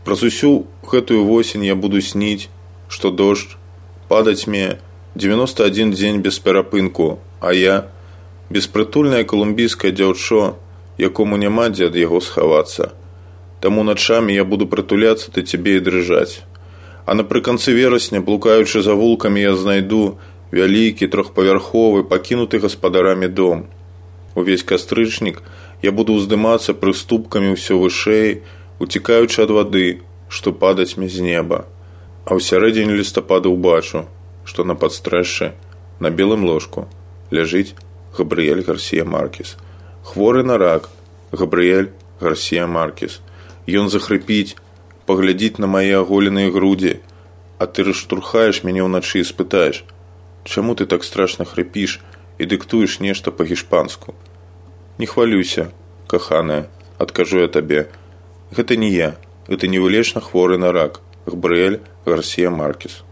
Праз усю гэтую восень я буду сніць, што дождж падаць мне 91 дзень без перапынку, а я беспрытульнае калумбійскае дзяўчо, якому няма дзе ад яго схавацца. Таму начамі я буду прытуляцца да цябе і дрыжаць. А напрыканцы верасня, блукаючы за вулкамі, я знайду вялікі трохпавярховы, пакінуты гаспадарамі дом. Увесь кастрычнік я буду ўздымацца прыступкамі ўсё вышэй, уцікаючы ад вады, што падаць мне з неба. А ў сярэдзіне лістапада ўбачу, што на падстрэшшы, на белым ложку, ляжыць Габрыэль Гарсія Маркес. Хворы на рак Габрыэль Гарсія Маркес. Ён захрыпіць, паглядзіць на мае аголеныя грудзі, а ты раштурхаеш мяне ўначы і спытаеш: чаму ты так страшна хрыпіш і дыктуеш нешта па-гішпанску? Не хвалюйся, каханая, адкажу я табе. Гэта не я, гэта невылечна хворы на рак Габрыэль Гарсія Маркес.